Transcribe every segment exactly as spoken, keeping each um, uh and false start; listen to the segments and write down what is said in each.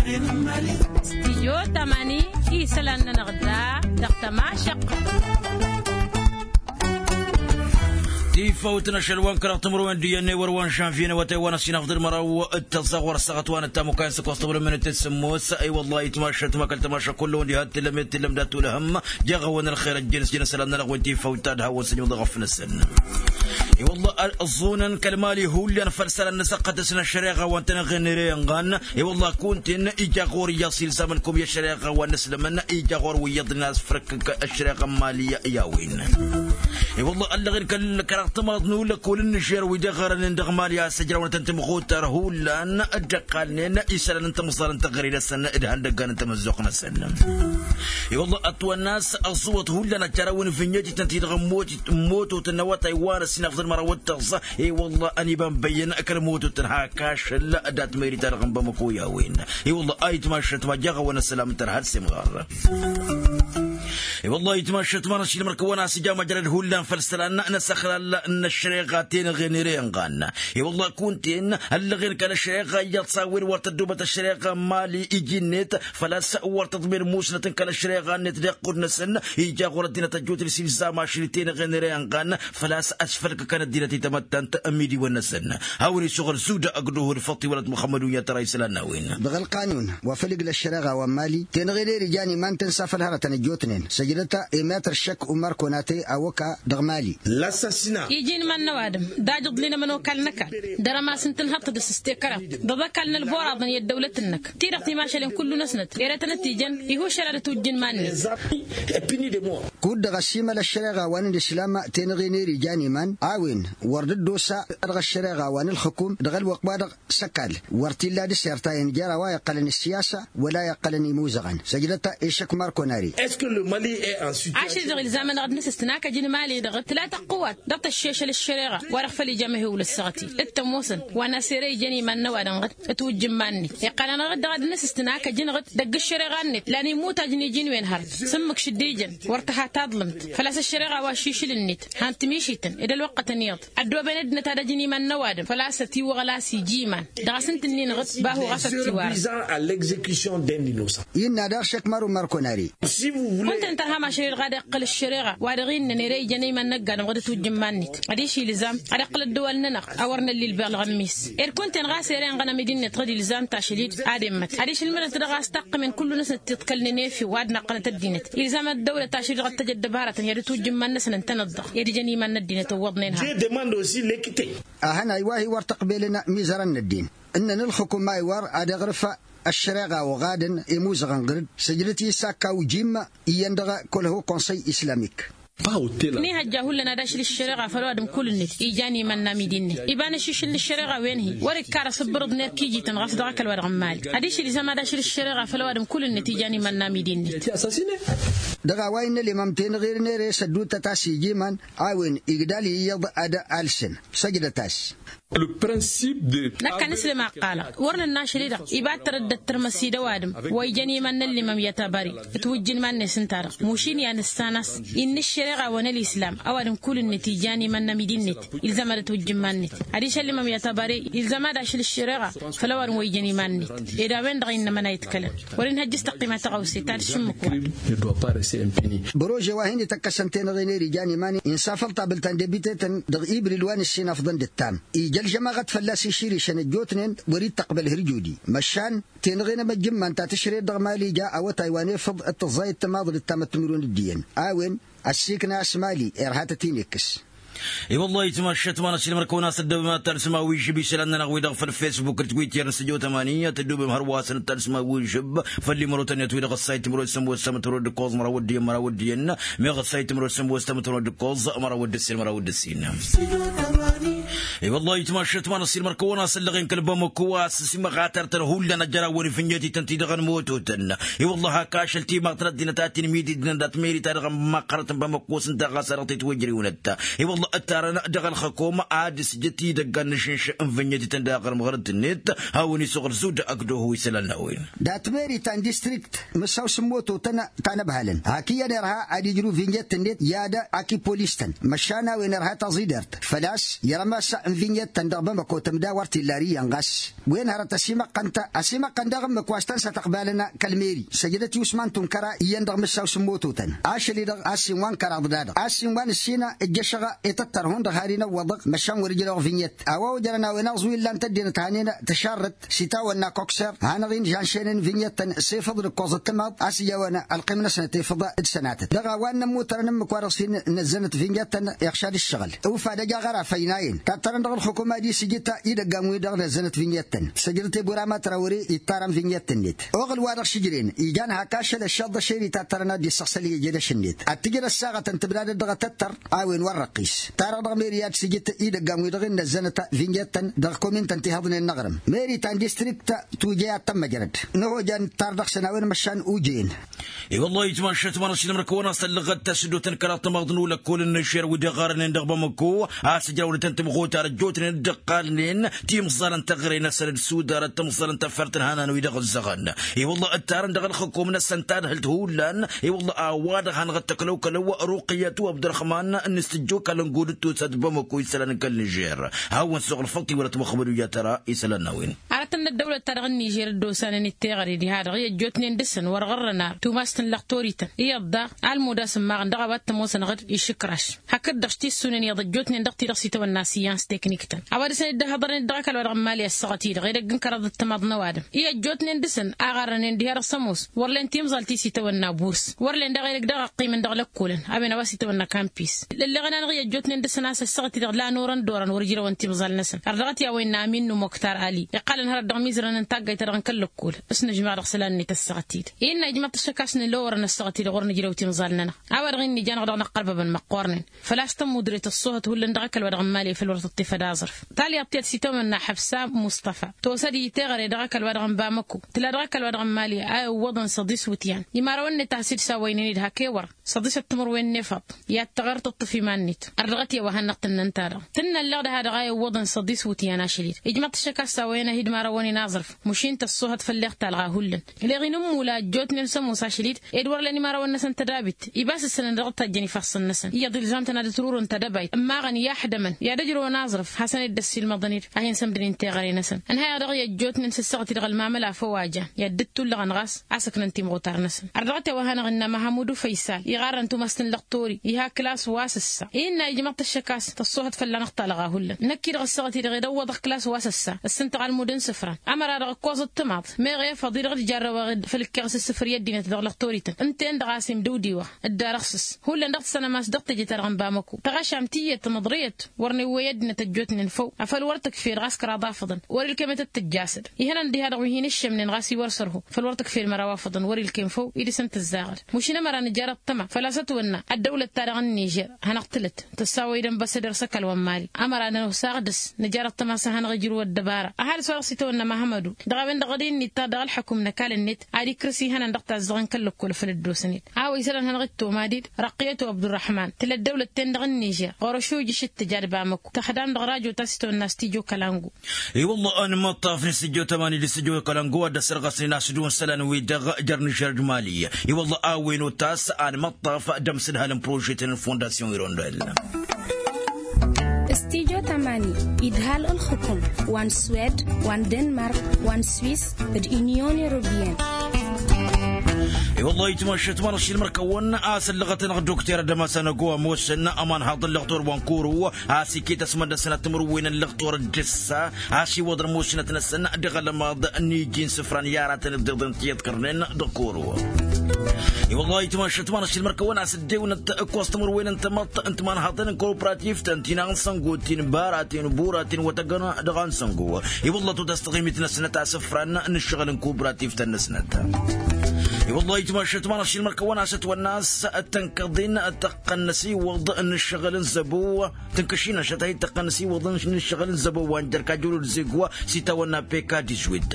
Stidyo tamani isălan-nănăɣ da dăɣ-tămašăqq. Tifawt n-ašăl wa n-kăraɣ timǝrwen d-iyyăn n-ewăr wa n-žănvye n-awătay wa n-ăsinafḍǝl măraw d-tăẓẓaɣ wăr ăssaɣăt wa n-ăttamukay n-săkoẓ tăwrămmen d-tǝssǝmmos. I-wăllah itmašăt ma kăl-tămašăk kull-wen diha t-illăm i-t-illăm dat-tulhăm. Jaɣ-awăn ălxer ăjjăn s-jăn isălan-nănăɣ wen tifawt ta d-hawăn-săn iwǝḍ ăɣăf-năsăn. I-wăllah ăẓẓunăn kăl-mali hullan făll-isălan n-asăqqăt-asăn ăššăreɣa wa n-tăn-ăɣen ere ănɣan. I-wăllah kunta-en ija ɣur-iyyăḍ s-ilzam ălkum i-ăššăreɣa wa n-ǝslămăn ija ɣur-wi iyyăḍnen a-s făr-ǝkkǝk ăššăreɣa n-mali i-a-wen. I-wăllah ăllăɣen kăl-kăraɣ tămaḍ n-ullăkol n-nižer wi dd-iɣărănen dăɣ-mali a-s ǝjrawăn ad-tăn-tǝmɣutar hullan dd-ăqqalnen isălan n-timẓal n-teɣăre-năsăn d-ihăndăggan n-tamăzzuɣt-năsăn. I-wăllah ătwănna a-s ăẓẓuwăt hullan ad-jarăwăn ǝvǝnnyăt-ităn-ti-dăɣ n-mototăn n-awătay wa n-ăssinafḍăn măraw d-tăẓẓa. I-wăllah ănibănbăyyăn kăl-mototăn hak ašăl dat-meri-ta-dăɣ n-bamăko i-a-wen. I-wăllah a itmašăt ma jaɣ-awăn ăssălam n-tărha d-semɣar. I-wăllah itmašăt ma n-ašilmăr-kăwăn a-s ija măjrăd hullan făll-isălan n-asăxlal n-ăššăreɣa tenăɣen ere ănɣan. I-wăllah kunta-en ăllăɣen kăl-ăššăreɣa iyyăḍ s-a-wen wăr tăddobăt ăššăreɣa n-mali iji-net. Făl-a-s wăr tăḍmen musnăt n-kăl-ăššăreɣa-net d-iqqud-năsăn ija ɣur-ăddinăt ăjjootnen s-ilzam ašăl i-tenăɣen ere ănɣan. Făl-a-s ăsfălkăkăn ăddinăt i-tamăttant n-imidiwăn-năsăn. Hawăn-isuɣǝl suda ăgg duhud făṭṭiwălăt muxămmăd unyăt ăra isălan n-a-wen. Dăɣ-ălqanun wa făl-ǝgl ăššăreɣa wa n-mali tenăɣen ere ijan iman-tăn s-afăl hărătăn ăjjootnen săjdăt emetăr šăkk umar konate awăka dăɣ-mali. Iji n-iman n-ăwadǝm d-ajǝḍlin ămănokal n-ăkall. Dăr-ămas n-tǝnhăḍt d-asǝstekăraḍ dăɣ-ăkall n-ălboraḍăn i-ăddăwlăt-năk ti-dăɣ timašalen kullu-năsnăt ere tăn-ăttijăn. Ihusšăl ad-ătwǝjjǝn iman-net. Kud-dăɣ ăsimăl ăššăreɣa wa n-ălislam tenăɣen ere ijan iman a-wen wăr dd-osa dăɣ-ăššăreɣa wa n-ǝlxǝkum dăɣ-ălwăqq-wa-dăɣ s-ăkall wăr t-illa d-isertayăn jer-a-wa iqqălăn ǝssiyasa wăla iqqălăn imuzăɣăn săjdăt. Išăkk marko n-ari. Ašăl-dăɣ ilzam-anăɣ ad-nǝsǝstǝn akăj n-imali-dăɣ tǝla tăqqǝwat dăɣ-tăššešăl ăššăreɣa wa-dăɣ făl ija mehewǝl ăssaɣăt-i d-tămoosăn wa n-asere ijăn iman n-ăwadǝm ɣǝd ătwǝjj n-iman-net. Iqqăl-anăɣ-dd dăɣ-ad-nǝsǝstǝn akăj-năɣ-dd dăgg-ăššăreɣa-net la n-immut ajnij-in wen hărăt s-ǝmmǝk šǝddijăn wăr tǝha taḍlǝmt. Făl-a-s ăššăreɣa wa ăššišǝl-net han tǝmišităn d-ălwăqqătăn iyyăḍ ăddooben ăddinăt ad-ăjǝn iman n-ăwadǝm făl-a-s ătiwăɣlas iji iman. Dăɣ-asǝntǝnnin ɣǝd bahu ɣas ăttiwar. Innă daɣ šăkk măru markonari. Kunta-en tărha mašăl-i-dăɣ ad-iqqăl ăššăreɣa wa dăɣ-innăn ere ijăn iman n-ăgg-adǝm ɣǝd ătwǝjj n-iman-net adiš ilzam ad-iqqăl ăddăwal-nănăɣ a wăr nălli ǝlbălɣ n-miss. Ed kunta-en ɣas ere ănɣănăm ed innăt ɣǝd ilzam tašăl-i-dd ad-immăt adiš ǝlmǝdăt dăɣ-a-s taqqǝmen kullu-năsnăt tiḍkălnen efew ad-naqqănăt ăddinăt. Ilzam ăddăwlăt ašăl-i-dăɣ ad-tăj ăddăbarătăn i-ad-ătwǝjj n-iman-năsăn ǝntăneḍ-dăɣ i-ad-ijăn iman n-ăddinăt ǝwwăḍnen. Hal. Ahăn a iwah-i wăr tăqbelăn mizărăn n-ăddin ǝnnăn ǝlxǝkum a iwar ad-iɣrǝf ăššăreɣa oɣadăn i-imuzăɣăn ɣǝr-dd săjdăt i-isakka ujim iyyăn dăɣ-kăwăl-ho konsăy islamik. Nihăjja hullan ad-ašǝl ăššăreɣa făll-ăwadǝm kull-net ijan iman n-amidi-net iba n-ašišǝl n-ăššăreɣa wen-hi wăr-ikkar asǝbbărǝḍ n-erk ijităn ɣas dăɣ-ăkall-wa-dăɣ n-mali. Adiš ilzam ad-ašǝl ăššăreɣa făll-ăwadǝm kull-net ijan iman n-amidi-net. Dăɣ-a-wa innă limam tenăɣer n-ere s-ădduuttăt a-s ija iman a-wen igdal iyyăḍ ad-alsăn săjdăt-as. Năkk anǝslǝm a ǝqqalăɣ wăr nǝnna ašăl-i-dăɣ iba ad-tărăddăt tărmăs-i d-ăwadǝm wa ijăn iman n-ăllimăm i-atabări. Ǝtwǝjj n-iman-net ǝnta-dăɣ mušin i-ad-nǝssan a-s innă ăššăreɣa wa n-ălislam ăwadǝm kull-net ijan iman n-amidi-net. Ilzam ad-ǝtwǝjj n-iman-net adiš ăllimăm i-atabări ilzam ad-ašǝl ăššăreɣa făll-ăwadǝm wa ijăn iman-net. Ed a-wen-dăɣ innă măna itkălăn wăr-inhăjj s-tăqqima tăɣawse ta d-šǝmmǝk-wa. Bărože wa hin-ităkkăsăn tenăɣen ere ijan iman-i insafăl tabǝlt ta n-debitetăn dăɣ-ibril wa n-ǝssinafḍăn d-ǝttam ija ălžămaɣăt fălla-s iširǝšăn ăjjootnen wăr-dd-tăqbăl hărjudi măšan tenăɣen amăjjǝmman ta tǝšred dăɣ-mali ja awătay wa n-efăḍ d-tǝẓẓayăt timaḍ d-ǝttam ăttǝmǝrwen d-iyyăn. A-wen ăssiikna a-s mali irha ad-tăt-in-ikkǝs. I-wăllah itmaššăt ma n-ašilmăr-kăwăn a-s ăddăbem ad-talsǝm a-wi žǝb isălan-nănăɣ-wi-dăɣ făll-fesbuk d-twitter n-săjo tămani ad-tăddobem hărwa-săn ad-talsǝm a-wi žǝb făll-imărotăn-net wi-dăɣ ăssayt timărot sămoos s-amătămărot d-ǝkkoẓ măraw d-iyyăn măraw d-iyyăn. Meɣ ăssayt timărot sămoos s-amătămărot d-ǝkkoẓ măraw d-ǝssin măraw d-ǝssin. I-wăllah itmaššăt ma n-ašilmăr-kăwăn a-s ăllăɣen kăl-bamăko a-s simăɣatărtăn hullan ăjraw wăr-ifǝnjăt-ităn-ti-dăɣ n-mototăn. I-wăllah hak ašăl timaḍt n-ăddinăt a tinmididnăn dat-meri-ta-dăɣ n-măqqărăt n-bamăko s-ǝnta ɣas a dăɣ-titwăjriwnăt. I-wăllah Ǝttarăn dăɣ-ălxăkom ad-ǝsjǝt idăggan n-ašǝnš n-vǝnnyătităn daɣ ɣărmăɣărăt-net hawăn-isuɣǝl zudăɣ d-oho isălan n-a-wen. Dat-meri ta n-distrikt mǝssaw s-ămmototăn ta n-ăbhalăn hak iyyăn irha ad-ijrǝw vǝnnyăt-net i-ad-akipolis-tăn măšan a-wen irha taẓidert făl-a-s irămas n-vǝnnyăt-tăn dăɣ-bamăko tămdawărt illa ar iyyăn ɣas wen hărăt ăsimăqqăn-t ăsimăqqăn daɣ ǝmmǝk wa s-tăn-sătăqbalăn kăl-meri săjdăt i-usman tunkăra iyyăn dăɣ-mǝssaw s-ămmototăn ašăl-i-dăɣ a-s inwa n-kăraḍ-da-dăɣ a-s inwa n-ǝssin ǝjjăšăɣ i-tăttăr hundăɣ har inăwwăḍăɣ măšan wăr-ǝjrăwăɣ vǝnnyăt a-wa ojărăn a-wen aẓwǝy ǝllan-t ăddinăt hanen tǝšarrăt s-itawănna kukser hanăɣ-in žanšenen vǝnnyăt-tăn s-efăḍ d-ǝkkoẓ ăttămaḍ a-s ija-wăn ălqim-năsnăt efăḍ d-sănatăt dăɣ-a-wa ǝnnămmutărăn ǝmmǝk wa dăɣ-s hin-năzzănăt vǝnnyăt-tăn iɣšad ǝššăɣǝl ufad ăj aɣăra făynayen tattărăn dăɣ-ălxukum ad-isǝjǝt idăggan-wi-dăɣ năzzănăt vǝnnyăt-tăn săjdăt i-burama trawăre ittarăn vǝnnyăt-net oɣǝl wa dăɣ-s ǝjren ijan hak ašăl ăššăḍ d-ašeri tattărăn ad-dd-issăɣsăl i-ejăd ašǝnnet ad-t-ǝjrăd saɣătăn tǝbdadăt dăɣ-tăttăr a-wen wăr răqqis tarăɣ dăɣ-meri ad-sǝjǝt idăggan-wi-dăɣ innăzzănăt vǝnnyăt-tăn dăɣ-komin-tăn tihăḍnen n-aɣrǝm meri ta n-distrikt tujăy ad-tămmăjrăd n-ăhojăn tar dăɣ-săn a-wen măšan ujăyăn. I-wăllah itmašăt manăɣ-s inǝmrăk wăn-asăllăɣăt tasǝddoten kăraḍ tămaḍ n-ulăkkol n-năšer wi-dăɣ ɣarănen dăɣ-bamăko a-s ǝjrawlătăn tǝmɣutar ăjjootnen dd-ǝqqalnen timẓalăn-tăɣre-năsăn d-sudarăt timẓalăn tăffert n-hanan-wi-dăɣ ǝzzăɣăn. I-wăllah ǝttarăn dăɣ-ălxǝkum-năsăn tadhǝlt hullan i-wăllah a-wa-dăɣ hanăɣ-dd-tăklăwkălăw ruqiyăt u-abdărăxman n-istǝjjo kăl-ăngo d-tusăt bamăko isălan n-kăl-nižer. Hawăn-suɣǝl făṭṭi wăla tămăxbăd wi jatăra isălan n-a-wen. Arătăn n-ăddăwlăt-ta-dăɣ n-nižer dd-osanen d-teɣăre diha-dăɣ i-ăjjootnen dăɣ-săn wăr ɣărrăn ar tumas n-lăxtorităn iyyăḍ daɣ almud a-s ǝmmaɣăn dăɣ-a-wa t-ămoosănăɣ-dd išǝkraš hakd-dăɣ s-tissunen iyyăḍ ăjjootnen dăɣ-ti-dăɣ s-itawănna siyans tekniktăn a-wa dăɣ-săn dd-ăhhăḍărnen dd-dăɣ-ăkall wa dăɣ-n mali ăssaɣăt-i-dăɣ edăgg n-kăraḍ d-timaḍ n-ăwadǝm i-ăjjootnen dăɣ-săn a ɣarrănen diha-dăɣ s-ămoos wăr len timẓal ti s-itawănna burs wăr len daɣ edăgg daɣ ăqqimăn dăɣ-lăkkolăn a-wen a-wa s-itawănna kampis. Lălleɣăn-anăɣ i-ăjjootnen dăɣ-săn a-s ăssaɣăt-i-dăɣ la norăn d-orăn wăr ǝjrăwăn timẓal-năsăn ărdăɣăt i-a-wa innă amin n-umoktar ali iqqalăn hărăt dăɣ-imizărăn n-taggayt-ta-dăɣ n-kăl-lăkkol s-nǝžmaɣ dăɣ-isălan-net ăssaɣăt-i-dăɣ innă ijmăḍ-t ăššăk a-s nǝlowărăn ăssaɣăt-i-dăɣ wăr nǝjrăw timẓal-nănăɣ. A-wa-dăɣ innă ijan-dăɣ dăɣ-năqqărbăbăn măqqoornen făl-a-s tămmudret ăṣṣuhăt hullan dăɣ-ăkall wa dăɣ-n mali făll-wăr tăṭṭef ad-aẓrǝf. Talyaḍt tiyyăt s-itawănna ḥăbsa muṣṭăfa tosăd i-teɣăre dăɣ-ăkall wa dăɣ-n bamăko tǝla dăɣ-ăkall wa dăɣ-n mali a iwwăḍăn săḍis iwǝtyan. Imărawăn-net a has-dd-sawăynen-dd hak ewăr săḍisăt timǝrwen n-efăḍ i-ad-tăɣer tǝṭṭǝf iman-net. Ărdăɣăt i-a-wa hannăɣ-tǝnnăn-ta-dăɣ tǝnnăn leɣ dăha-dăɣ a iwwăḍăn săḍis iwǝtyan ašăl-dd ijmăḍ-t ăššăk a-s a-wa i-ad-hin-mărawăn-in aẓrǝf. Măšin tăṣṣuhăt făll-eɣ talɣa hullan. Leɣ-in ǝmmula ăjjootnen s-ămoos ašăl-dd ed wăr len imărawăn-năsăn tădabit. Ibas ǝssănăn dăɣ-tajjăn ifassăn-năsăn iyyăḍ ilzam-tăn ad-ǝtrurǝn tadăbayt ămmaɣăn i-aḥdămăn i-ad-ǝjrăwăn aẓrǝf hasăn-dd-ăssiilmăḍăn-dd a hin-sămdǝnen teɣăre-năsăn. Ǝnhăyăɣ dăɣ-i ăjjootnen s-ăssaɣăt-i-dăɣ ălmamăla făw a jan i-ad-dd-ǝttullăɣăn ɣas a-s ǝknăn timɣutar-năsăn. Ărdăɣăt i-a-wa hanăɣ-innă mahamudu făysal iɣarrăn tumas n-lăxtori iha klas wa s-ǝssa. Innă ijmăḍ-t ăššăk a-s tăṣṣuhăt fălla-năɣ talɣa hullan. Năkk-i-dăɣ ăssaɣăt-i-dăɣ ed ăwwăḍăɣ klas wa s-ăssa ăssǝntăɣ almud n-isǝfran. Ămăra-dăɣ ǝkkoẓăt timaḍ meɣ efăḍ-i-dăɣ d-jarrăwăɣ făll-ǝkkeɣ s-isǝfăr i-ăddinăt dăɣ-lăxtorităn ǝnta-en-dăɣ a-s imdǝwdiwăɣ. Dd-arăɣ s-s hullan dăɣ-tǝssănăm a-s dăɣ-teje-ta-dăɣ n-bamăko tăɣašam tiyyăt tămăḍrăyăt. Wăr newwăy ăddinăt ăjjootnen făw afăl wăr tǝkfed ɣas kăraḍ afăḍăn. Wăr-ilkem i-tăt-tǝjjasăd ihănan diha-dăɣ wi hin-ǝššămnen ɣas iwăr sărho. Făl wăr tǝkfed măraw afăḍăn wăr-ilkem făw. I-dăɣ-săn tǝzzaɣăd. Măšin ămăra nǝjar ăṭṭăma făl-a-s ătwănna ăddăwlăt-ta-dăɣ n-nižer hanăɣ-tǝlăt tăssawăy d-ănbăsăder s-ăkall wa n-mali. Ămăra nănăwsaɣ dăɣ-s nǝjar ăṭṭăma a-s ad-hanăɣ-ijrǝw ăddăbara ăhalǝs wa dăɣ-s itawănna mahamădu. Dăɣ-a-wen-dăɣ dd-innă ittăr dăɣ-ălḥăkum n-ăkall-net ad-ikrǝs ihănan dăɣ-tazzăɣ n-kăl-lăkkol făll-ăddosăn-dd. A-wa isălan hanăɣ-dd-tomadid răqqiyăt u-abdurrăḥman tǝla ăddăwlăt-ten-dăɣ n-nižer. Ɣur-ašujǝš d-tǝja d-bamăko tăxdam dăɣ-rajo ta s-itawănna s-tijo kălango. I-wălla anmăṭṭaf n-isǝjjo tămani d-isǝjjo kălango ad-ăssărɣăsnen a-s dd-wăn isălan-wi-dăɣ jer-nǝžer d-mali. I-wălla a-wen otas anmăṭṭaf d-amsǝdhal n-prožetăn n-fondasyon irondel. Stijo tămani idhal ǝlxǝkum wa n-swed wa n-denmark wa n-swis d-inyon europeyăn. I-wălla itmăššăt manăɣ-šilmăr-kăwăn a-s ăllăɣăt-anăɣ dokter ad-ămasăn ăgo ămoosăn ămanhaḍ n-lăxtor wa n-koro a-s iket ăsmăndăsnăt timǝrwen n-lăxtor d-ǝssa. A-s iwwăḍ ămoosnăt-năsăn dăɣ-alămaḍ n-iji n-isǝfran i-aratăn ǝddiḍen ti ǝḍkărnen dăɣ-koro. I-wălla itmăššăt manăɣ-šilmăr-kăwăn a-s ăddewǝnăt ǝkkoẓ timǝrwen n-tamăḍt n-timanhaḍăn n-kooperativt n-tinaɣ n-săngo ti n-baraten n-buraten wa tăggăn dăɣ-a n-săngo. I-wălla totăs taɣimit-năsnăt a-s ǝfran n-ǝššăɣǝl n-kooperativt-năsnăt. I-wăllah ayǝtmašat ma n-ašilmăr kăwăn-as ătwănna a-s tănkăḍin tăqqăn n-asiwăḍ n-ǝššăɣǝl n-zăbo. Tǝnkăšin ašăt a hi-tăqqăn n-asiwăḍ n-ǝššăɣǝl n-zăbo wa n-jer-kajjăl wăr-dd-zegwa s-itawănna peka dizuit.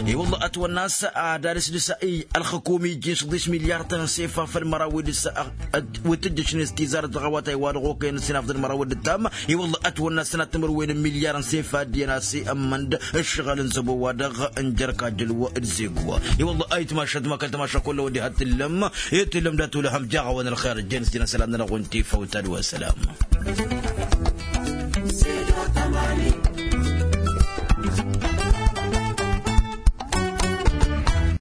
I-wăllah ătwănna a-s ad-ad-s dăɣ-s i-ălxǝkum ijjin săḍis milyar tăn-sefa făll-măraw wi dăɣ-s. Wăr tǝjjăšnen s-tizar dăɣ-a-wa ta iwa dăɣ-okăyăn s-inafḍăn măraw d-ǝttam. I-wăllah ătwănna s-tănat timǝrwen n-milyar n-sefa d-iyyăn a-s i-ămmănd ǝššăɣǝl n-zăbo-wa-dăɣ n-jer-kajjăl wăr-dd-zegwa. I-wăllah ayǝtmašat ma kăl-tămaša kull-a-wa diha t-tǝllăm. I-tǝllăm dat-olăhăm jaɣ-awăn ălxer ǝjjăn s-tinăsălan-nănăɣ wa n-tifawt ad-wa sălam.